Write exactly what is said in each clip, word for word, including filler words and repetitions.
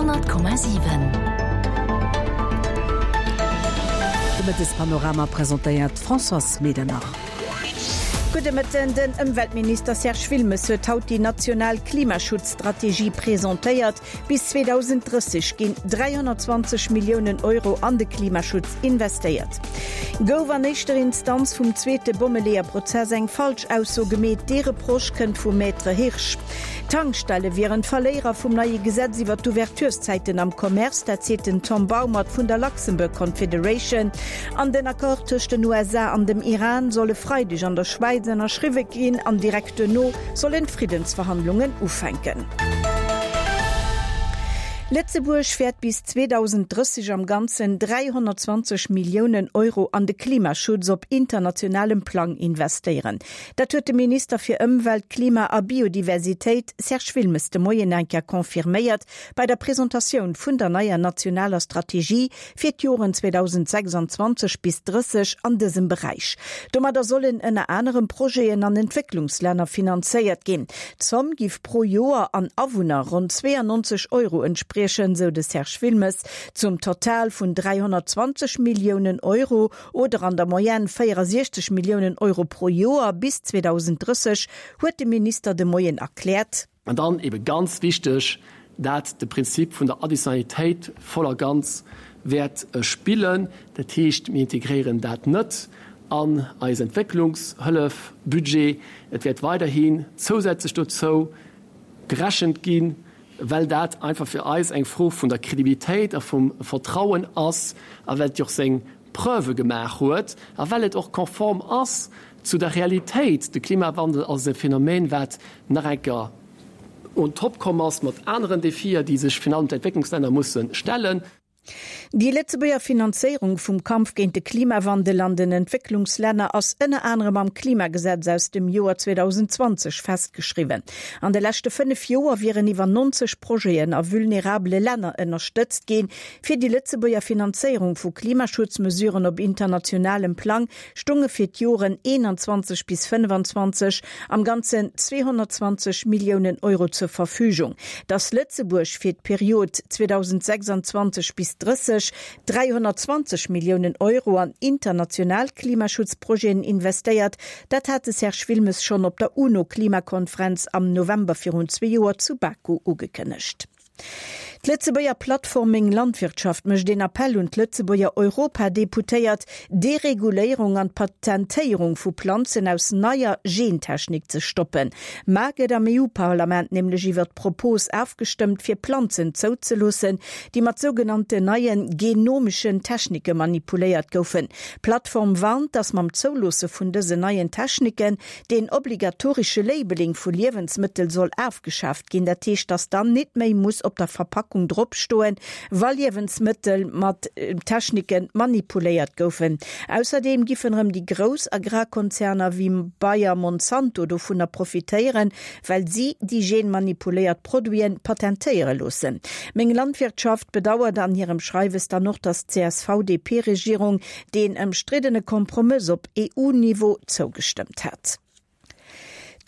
honnert Komma siwen. De Mëttespanorama presentéiert d'Françoise Medernach. Gudde Mëtten, Den Ëmweltminister Serge Wilmes huet haut déi national Klimaschutzstrategie presentéiert. Bis zweedausenddrësseg ginn dräihonnertzwanzeg Milliounen Euro an de Klimaschutz investéiert. Gouf an éischter Instanz vum zweete Bommeleeër-Prozess eng falsch Ausso gemeet? Dee Reproche kënnt vum Maître Hirsch. D'Tankstelle wieren d'Verléierer vum neie Gesetz iwwer d'Ouvertureszäiten am Commerce, dat seet den Tom Baumert vun der Luxembourg Confederation. An den Accord tëscht den U S A an dem Iran soll e Freideg an der Schwäiz ënnerschriwwe ginn an direkt duerno sollen d'Friddensverhandlungen ufänken. Lëtzebuerg wäert bis zweedausenddrësseg am Ganzen dräihonnertzwanzeg Milliounen Euro an de Klimaschutz op internationalem Plang investéieren. Dat huet de Minister fir Ëmwelt, Klima a Biodiversitéit Serge Wilmes de Moien eng Kéier confirméiert bei der Presentatioun vun der neier nationaler Strategie fir d'Joren zweedausendsechsanzwanzeg bis drësseg an dësem Beräich. Domadder sollen ënner anerem Projeten an Entwécklungslänner finanzéiert ginn. D'Zomm giff pro Joer an Awunner ronn zweeangnonzeg Euro entspriechen, sou de Serge Wilmes. Zum Total vun dräihonnertzwanzeg Milliounen Euro oder an der Moyenne véierasiechzeg Milliounen Euro pro Joer bis zweedausenddrësseg huet de Minister de Moien erkläert. An dann ebe ganz wichteg, dat de Prinzip vun der Additionnalitéit voll a ganz wäert spillen. Dat heescht, mir integréieren dat net an eis Entwécklungshëllef-Budget. Et wäert weiderhin zousätzlech dozou gerechent ginn, well dat einfach fir eis eng Fro vun der Kredibilitéit a vum Vertrauen ass a well et jo och seng Preuve gemaach huet a well et och konform ass zu der Realitéit. De Klimawandel ass e Phänomen, wat nach eng Kéier on top komm ass mat aneren Defier, déi sech virun allem d'Entwécklungslänner musse stellen. Déi Lëtzebuerger Finanzéierung vum Kampf géint de Klimawandel an den Entwécklungslänner ass ënner anerem am Klimagesetz aus dem Joer zweedausendzwanzeg festgeschriwwen. An de leschte fënnef Joer wieren iwwer neunzeg Projeten a vulnerabele Länner ënnerstëtzt ginn. Fir déi Lëtzebuerger Finanzéierung vu Klimaschutzmesuren op internationalem Plang stonge fir d'Joren eenanzwanzeg bis fënnefanzwanzeg am Ganzen zweehonnertzwanzeg Milliounen Euro zur Verfügung. Datt Lëtzebuerg fir d'Period zweedausendsechsanzwanzeg bis drësseg dräihonnertzwanzeg Milliounen Euro an international Klimaschutzprojeten investéiert, dat hat de Serge Wilmes schonn op der UNO-Klimakonferenz am November virun zwee Joer zu Baku ugekënnegt. D'Lëtzebuerger Plattform Meng Landwirtschaft mécht een Appell un d'Lëtzebuerger Europadeputéiert, d'Dereguléierung an d'Patentéierung vu Planzen aus neier Gentechnik ze stoppen. Mar gëtt am E U-Parlament nämlech iwwer d'Propos ofgestëmmt, fir Planzen zouzeloossen, déi mat sougenannten neien genomeschen Technike manipuléiert goufen. D'Plattform warnt, datt mam Zouloosse vun dësen neien Techniken den obligatoresche Labeling vu Liewensmëttel soll ofgeschaaft ginn, dat heescht, datt dann net méi muss op der Verpackung dropstoen, wa Liewensmëttel mat Technike manipuléiert goufen. Ausserdeem giffen erëm déi grouss Agrarkonzerner wéi Bayer, Monsanto dovunner profitéieren, well si déi genmanipuléiert Produiten patentéiere loossen. Meng Landwirtschaft bedauert an hirem Schreiwes dann och, datt d'C S V-D P-Regierung deen ëmstriddene Kompromëss op E U-Niveau zougestëmmt hat.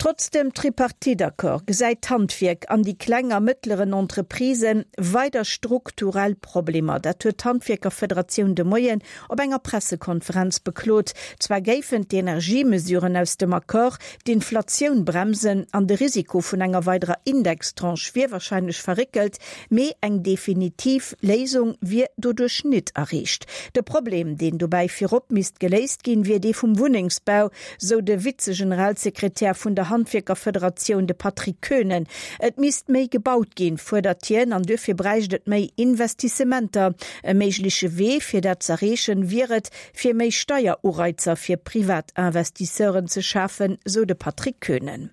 Trotz dem Tripartite-Accord gesäit d'Handwierk an déi kleng a mëttleren Entreprisen weider strukturell Problemer. Dat huet d'Handwierkerfederatioun de Moien op enger Pressekonferenz beklot. Zwar géifen d'Energiemesuren aus dem Accord d'Inflatioun bremsen an de Risiko vun enger weiderer Indextranche wier warscheinlech verréckelt, mee eng definitiv Léisung wier doduerch net erreecht. De Problem, deen dobäi virop misst geléist ginn, wier dee vum Wunnengsbau, sou de Vize-Generalsekretär vun der Handwierkerfederatioun, de Patrick Koehnen. Et misst méi gebaut ginn, fuerdert hien, an duerfir bräicht et méi Investissementer. E méigleche Wee fir dat z'erreechen, wier et, fir méi Steierureizer fir privat Investisseuren ze schafen, sou de Patrick Koehnen.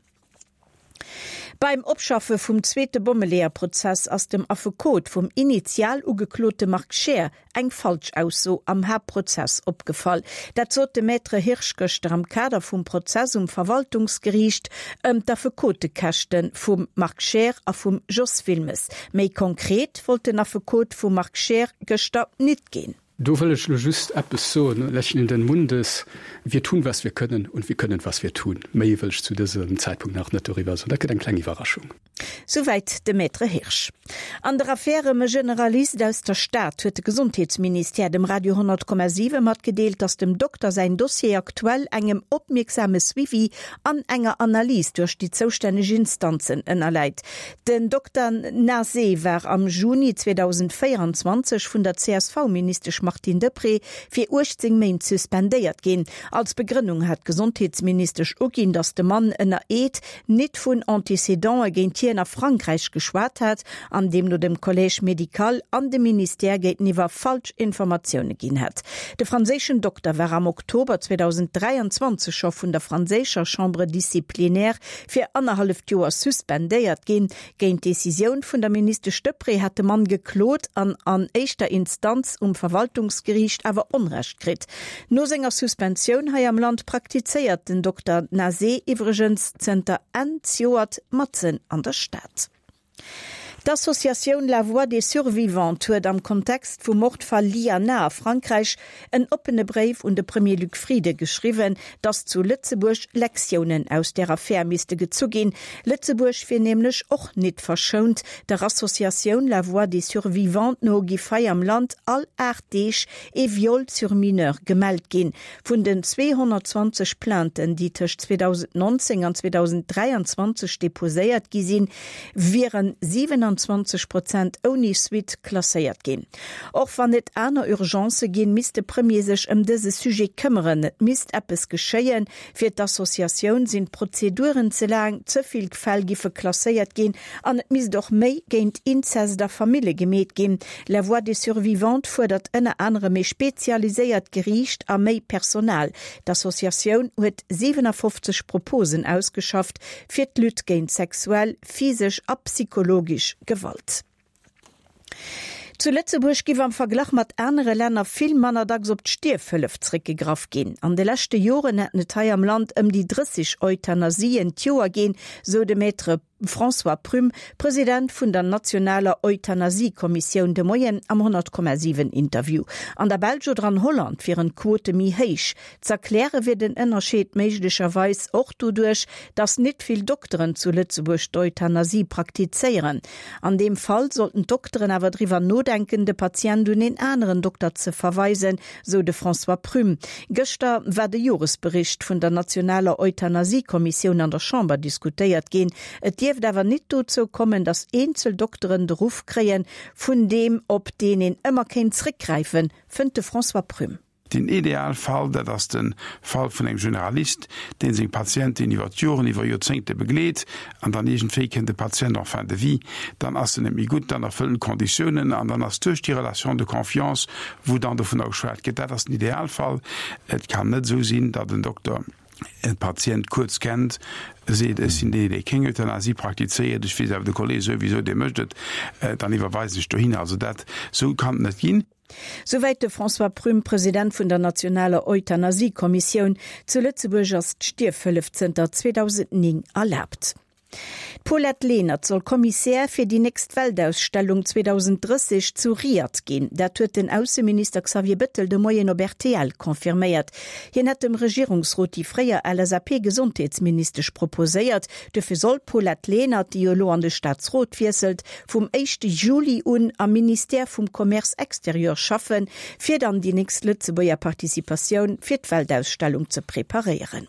Beim Opschaffe vum zweete Bommeleeër-Prozess ass dem Affekot vum initial ugeklote Marc Scheer eng Falschausso am Haaptprozess opgefall. Dat sot de Maître Hirsch gëschter am Kader vum Prozess um Verwaltungsgeriicht ëm d'Affekotekäschte vum Marc Scheer a vum Jos Wilmes. Méi konkret wollt den Affekot vum Marc Scheer gëschter nit ginn. Do wëll ech lo just eppes soen, lächelnden Mundes, wir tun, was wir können und wir können, was wir tun. Méi wëll ech zu dësem Zäitpunkt nach net doriwwer soen. Dat gëtt eng kleng Iwwerraschung. Souwäit de Maître Hirsch. An der Affär ëm e Generalist aus der Stad huet de Gesondheetsministère dem Radio honnert Komma siwe matgedeelt, datt dem Dokter säin Dossier aktuell engem opmierksame Suivi an enger Analys duerch déi zoustänneg Instanzen ënnerläit. Den Dokter Nazé war am Juni zweedausendvéieranzwanzeg vun der C S V-Ministesch Martine Deprez fir uechtzéng Méint suspendéiert ginn. Als Begrënnung hat d'Gesondheetsministesch uginn, datt de Mann ënner Eed nit vun Antécédente géint hien a Frankräich geschwat hat an deemno dem Collège médical an dem Ministère géinteniwwer falsch Informatioune ginn hätt. De franséischen Dokter war am Oktober zweedausendräianzwanzeg scho vun der franséischer Chambre disciplinaire fir annerhalleft Joer suspendéiert ginn. Géint d'Decisioun vun der Ministesch Deprez hat de Mann geklot an an éischter Instanz um Verwaltungsgeriicht awer Onrecht kritt. No senger Suspensioun hei am Land praktizéiert den Dokter Nazé iwwregens zënter Enn zejoert matzen an der Stad. D'Associatioun La Voix des Survivantes huet am Kontext vum Mordfall Liana a Frankräich en oppene Bréif un de Premier Luc Frieden geschriwwen, datt zu Lëtzebuerg Lektiounen aus där Affär misste gezu ginn. Lëtzebuerg wier nämlech och nit verschount. Der Associatioun La Voix des Survivantes no giff hei am Land all aacht Deeg ee Viol sur mineur gemellt ginn. Vun den zweehonnertzwanzeg Plainten, déi tëscht zweedausendnonzéng an zweedausendräianzwanzeg deposéiert gi sinn, wieren siewenanzwanzeg Prozent ouni Suite klasséiert ginn. Och wann et aner Urgencë ginn, misst de Premier sech ëm dëse Sujet këmmeren. Et misst eppes geschéien. Fir d'Associatioun sinn d'Prozeduren ze laang, ze vill Fäll giffe klasséiert ginn an et misst och méi géint Inzest a Famille gemeet ginn. La Voix des Survivantes fuerdert ënner anerem méi spezialiséiert Geriicht a méi Personal. D'Associatioun huet siwenafofzeg Proposen ausgeschafft fir d'Lutte géint sexuell, physesch a psychologesch Gewalt. Zu Lëtzebuerg giff am Verglach mat anere Länner vill manner dacks op d'Stierfhëllef zréckgegraff ginn. An de leschte Joren hätten et hei am Land ëm déi drësseg Euthanasien d'Joer ginn, sou de Maître François Prüm, President vun der nationaler Euthanasiekommissioun de Moien am honnert Komma siwen Interview. An der Belsch oder an Holland wieren d'Quote méi héich. Z'erkläre wier den Ënnerscheed méiglecherweis och doduerch, datt nit vill Dokteren zu Lëtzebuerg d'Euthanasie praktizéieren. An deem Fall sollten d'Dokteren awer driwwer nodenken, de Patient un een aneren Dokter ze verweisen, sou de François Prüm. Gëschter war de Joresbericht vun der nationaler Euthanasiekommissioun an der Chamber diskutéiert ginn. Et dierft awer nit dozou kommen, datt eenzel Dokteren de Ruff kréien, vun deem op deen een ëmmer kéint zréckgräifen, fënnt de François Prüm. Den Idealfall, dat ass de Fall vun engem Generalist, dee seng Patienten iwwer d'Joren, iwwer Joerzéngte begleet, an dann iergendwéi kënnt de Patient en fin de vie, dann ass en net méi gutt, dann erfëllt en d'Konditiounen an dann ass duerch déi Relation de confiance, wou dann dovunner geschwat gëtt, dat ass den Idealfall. Et kann net esou sinn, datt en Dokter e Patient kuerz kennt, seet, ech sinn deen, dee keng Euthanasie praktizéiert, ech weess awer, de Kolleg souwisou, dee mécht et, dann iwwerweisen ech dohinner. Also dat, esou kann et net ginn. Souwäit de François Prüm, President vun der nationaler Euthanasiekommissioun. Zu Lëtzebuerg ass d'Stierfhëllef zënter zweedausendnéng erlaabt. D'Paulette Lenert soll Kommissär fir déi nächst Weltausstellung zweedausendrësseg zu Riad ginn. Dat huet den Ausseminister Xavier Bettel de Moien op R T L confirméiert. Hien hätt dem Regierungsrot déi fréier L S A P-Gesondheetsministesch proposéiert. Dofir soll d'Paulette Lenert, déi jo elo an de Staatsrot wiesselt, vum éischte Juli un am Ministère vum Commerce extérieur schaffen, fir dann déi nächst Lëtzebuerger Participatioun fir d'Weltausstellung ze preparéieren.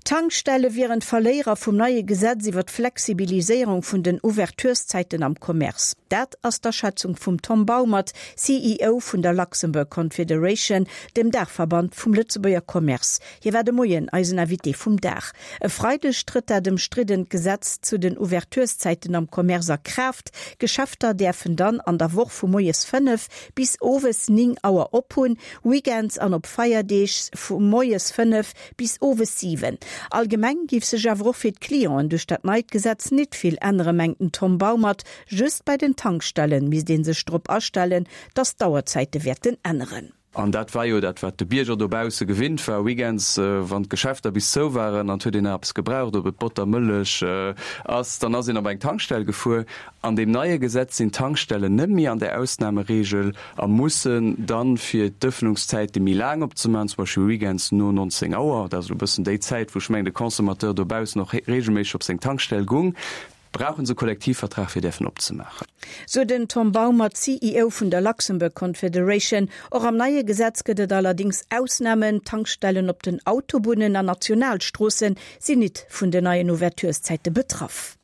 D'Tankstelle wieren d'Verléierer vum neie Gesetz iwwer d'Flexibiliséierung vun den Ouvertureszäiten am Commerce. Dat ass d'Aschätzung vum Tom Baumert, C E O vun der Luxembourg Confederation, dem Daachverband vum Lëtzebuerger Commerce. Hie war de Moien eisen Invité vum Dag. E Freideg trëtt dat ëmstriddent Gesetz zu den Ouvertureszäiten am Commerce a Kraaft. Geschäfter däerfen dann an der Woch vu moies fënnef bis owes néng Auer ophunn, Weekends an op Feierdeeg vu moies fënnef bis owes siwen. Allgemeng giff sech awer och fir d'Clienten duerch dat neit Gesetz nit vill änneren, mengt den Tom Baumert. Just bei den Tankstellen misst ee sech drop astellen, dass d'Auerzäite wäerten änneren. An dat war jo dat, wat de Bierger dobausse gewinnt war, Weekends, wann d'Geschäfter bis zou waren an et huet een nach eppes gebraucht, ob et Botter, Mëllech ass, dann ass een op eng Tankstell gefuer. An deem neie Gesetz sinn d'Tankstellen net méi an där Ausnahmeregel a mussen dann, fir d'Ëffnungszäite méi laang opzemaachen, zum Beispill weekends no nonzéng Auer, dat ass elo e bëssen déi Zäit, wou ech mengen de Consommateur dobaussen och regelméisseg op seng Tankstell gung, brauche se e Kollektivvertrag fir däerfen opzemaachen. Sou den Tom Baumert, C E O vun der Luxembourg Confederation. Och am neie Gesetz gëtt et allerdéngs Ausnamen, Tankstellen op den Autobunnen an Nationalstroosse sinn nit vun den neien Ouvertureszäite betraff.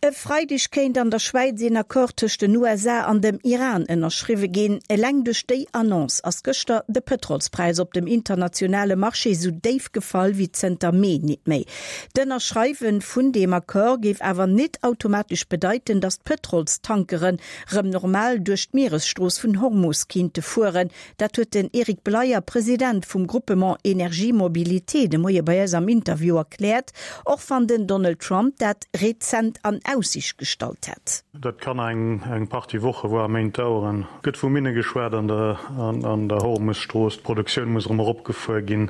E Freideg kéint an der Schwäiz een Accord tëscht den U S A an dem Iran ënnerschriwwe ginn. Eleng duerch déi Annonce ass gëschter de Pëtrolspräis op dem internationale Marché sou déif gefall wéi zënter Mee nit méi. D'Ënnerschreiwe vun deem Accord géif awer nit automatesch bedeiten, datt d'Pëtrolstankeren rëm normal duerch d'Mieresstrooss vun Hormus kinnte fueren. Dat huet den Eric Bleyer, President vum Groupement Énergie Mobilité, de Moie bei eis am Interview erkläert, och wann den Donald Trump dat rezent an Aussiicht gestallt hätt. Dat kann eng eng Partie Woche voire Méint daueren. Gëtt vu Minne geschwat an der an an der Hormusstrooss. D'Produktioun muss erëm eropgefuer ginn.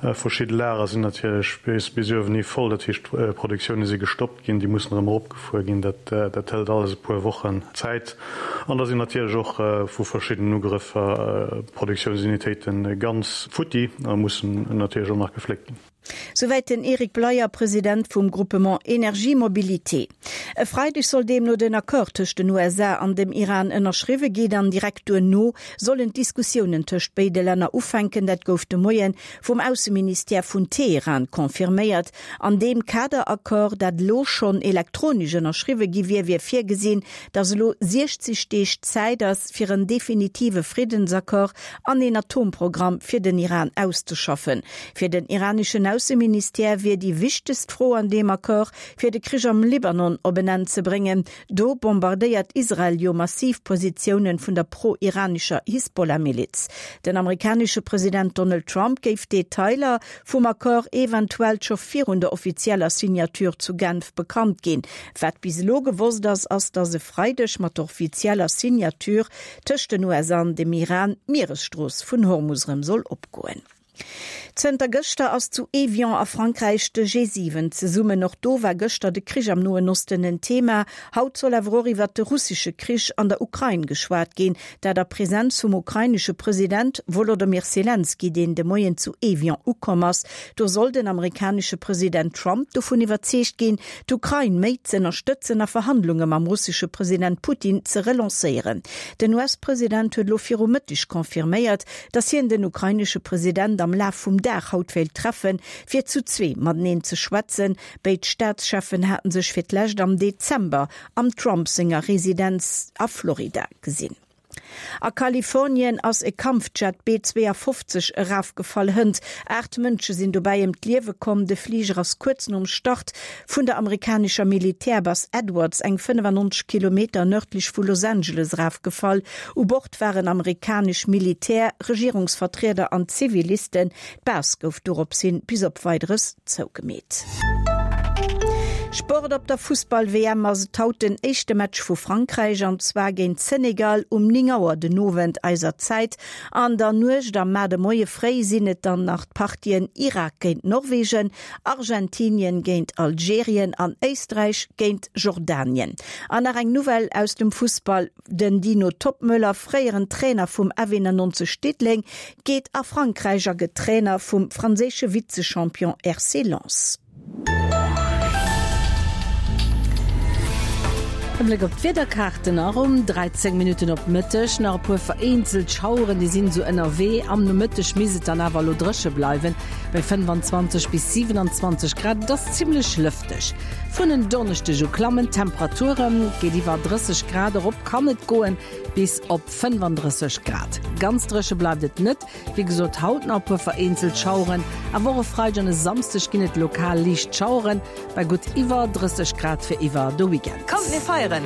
Verschidde Lager sinn natierlech bis bis uewen hi voll, dat heescht d'Produktioune si gestoppt ginn, déi mussen erëm eropgefuer ginn. Dat dat hëlt alles e puer Wochen Zäit. An da sinn natierlech och vu verschiddenen Ugrëffer Produktiounsunitéite ganz futti a mussen natierlech och nach gefléckt ginn. Souwäit den Eric Bleyer, President vum Groupement Énergie Mobilité. E Freideg soll deemno den Accord tëscht den U S A an dem Iran ënnerschriwwe ginn an direkt duerno sollen d'Diskussiounen tëscht béide Länner ufänken. Dat gouf de Moie vum Ausseministère vun Teheran confirméiert. An deem Kaderaccord, dat lo schonn elektronesch ënnerschriwwe gi wier, wier virgesinn, datt elo siechzeg Deeg Zäit ass fir en definitive Friddensaccord an een Atomprogramm fir den Iran auszeschaffen. Fir den iraneschen Ausseministère wier déi wichtegst Fro an deem Accord, fir de Krich am Libanon op en Enn ze bréngen. Do bombardéiert Israel jo massiv Positiounen vun der pro-iranescher Hisbollah-Miliz. Den amerikanesche President Donald Trump géif Detailer vum Accord eventuell scho virun der offizieller Signature zu Genf bekannt ginn. Wat bis elo gewosst ass, ass, datt e Freideg mat der offizieller Signature tëscht den U S A an dem Iran d'Mieresstrooss vun Hormus rëm soll opgoen. Zënter gëschter ass zu Évian a Frankräich de G siwen zesummen. Och do war gëschter de Krich am Noen Osten en Thema. Haut soll awer och iwwer de russesche Krich an der Ukrain geschwat ginn, dat a Presenz vum ukrainesche President Volodymyr Selenskyj, deen de Moien zu Évian ukomm ass. Do soll den amerikanesche President Trump dovun iwwerzeegt ginn, d'Ukrain méi ze ënnerstëtzen a Verhandlunge mam russesche President Putin ze relancéieren. Den U S-President huet lo viru Mëtteg confirméiert, datt hien den ukrainesche President am Laf vum Dag haut wéilt treffen, fir zu zwee mateneen ze schwätzen. Béid Staatscheffen haten sech fir d'lescht am Dezember am Trump senger Residenz a Florida gesinn. A Kalifornien ass e Kampfjet B zwouafofzeg erafgefall. Hënt aacht Mënsche sinn dobäi ëm d'Liewe komm. De Fliger ass kuerz nom Start vun der amerikanescher Militärbase Edwards eng fënnefannonzeg Kilometer nërdlech vu Los Angeles erafgefall. U Bord waren amerikanesch Militär, Regierungsvertrieder an Zivilisten. D'Base gouf doropshin bis op Weideres zougemeet. Sport. Op der Fussball-W M ass et haut den éischte Match vu Frankräich an zwar géint Senegal um néng Auer den Owend eiser Zäit. An der Nuecht a mar de Moie fréi sinn et dann nach d'Partien Irak géint Norwegen, Argentinien géint Algerien an Éisträich géint Jordanien. An nach eng Nouvelle aus dem Fussball: Den Dino Toppmöller, fréieren Trainer vum F nonzeg Diddeleng, geet a Frankräich a gëtt Trainer vum franséische Vizechampion R C Lens. E Bléck op d'Wiederkaarten a ronn dräizéng Minutten op Mëtteg. Nach e puer vereenzelt Schaueren, déi sinn sou ënnerwee. Am Nomëtteg misst et dann awer lo dréche bleiwen. Bei fënnfanzwanzeg bis siwenanzwanzeg Grad, dat ass zimmlech lëfteg. Vun en Donneschdeg u klammen d'Temperaturen, geet iwwer drësseg Grad erop, kann et goen bis op fënnefandrësseg Grad. Ganz dréche bleift et net, wéi gesot haut nach e puer vereenzelt Schaueren. Awer och e Freideg an e Samschdeg ginn et lokal liicht Schaueren, bei gutt iwwer drësseg Grad fir iwwer de Weekend. Kommt mir feieren!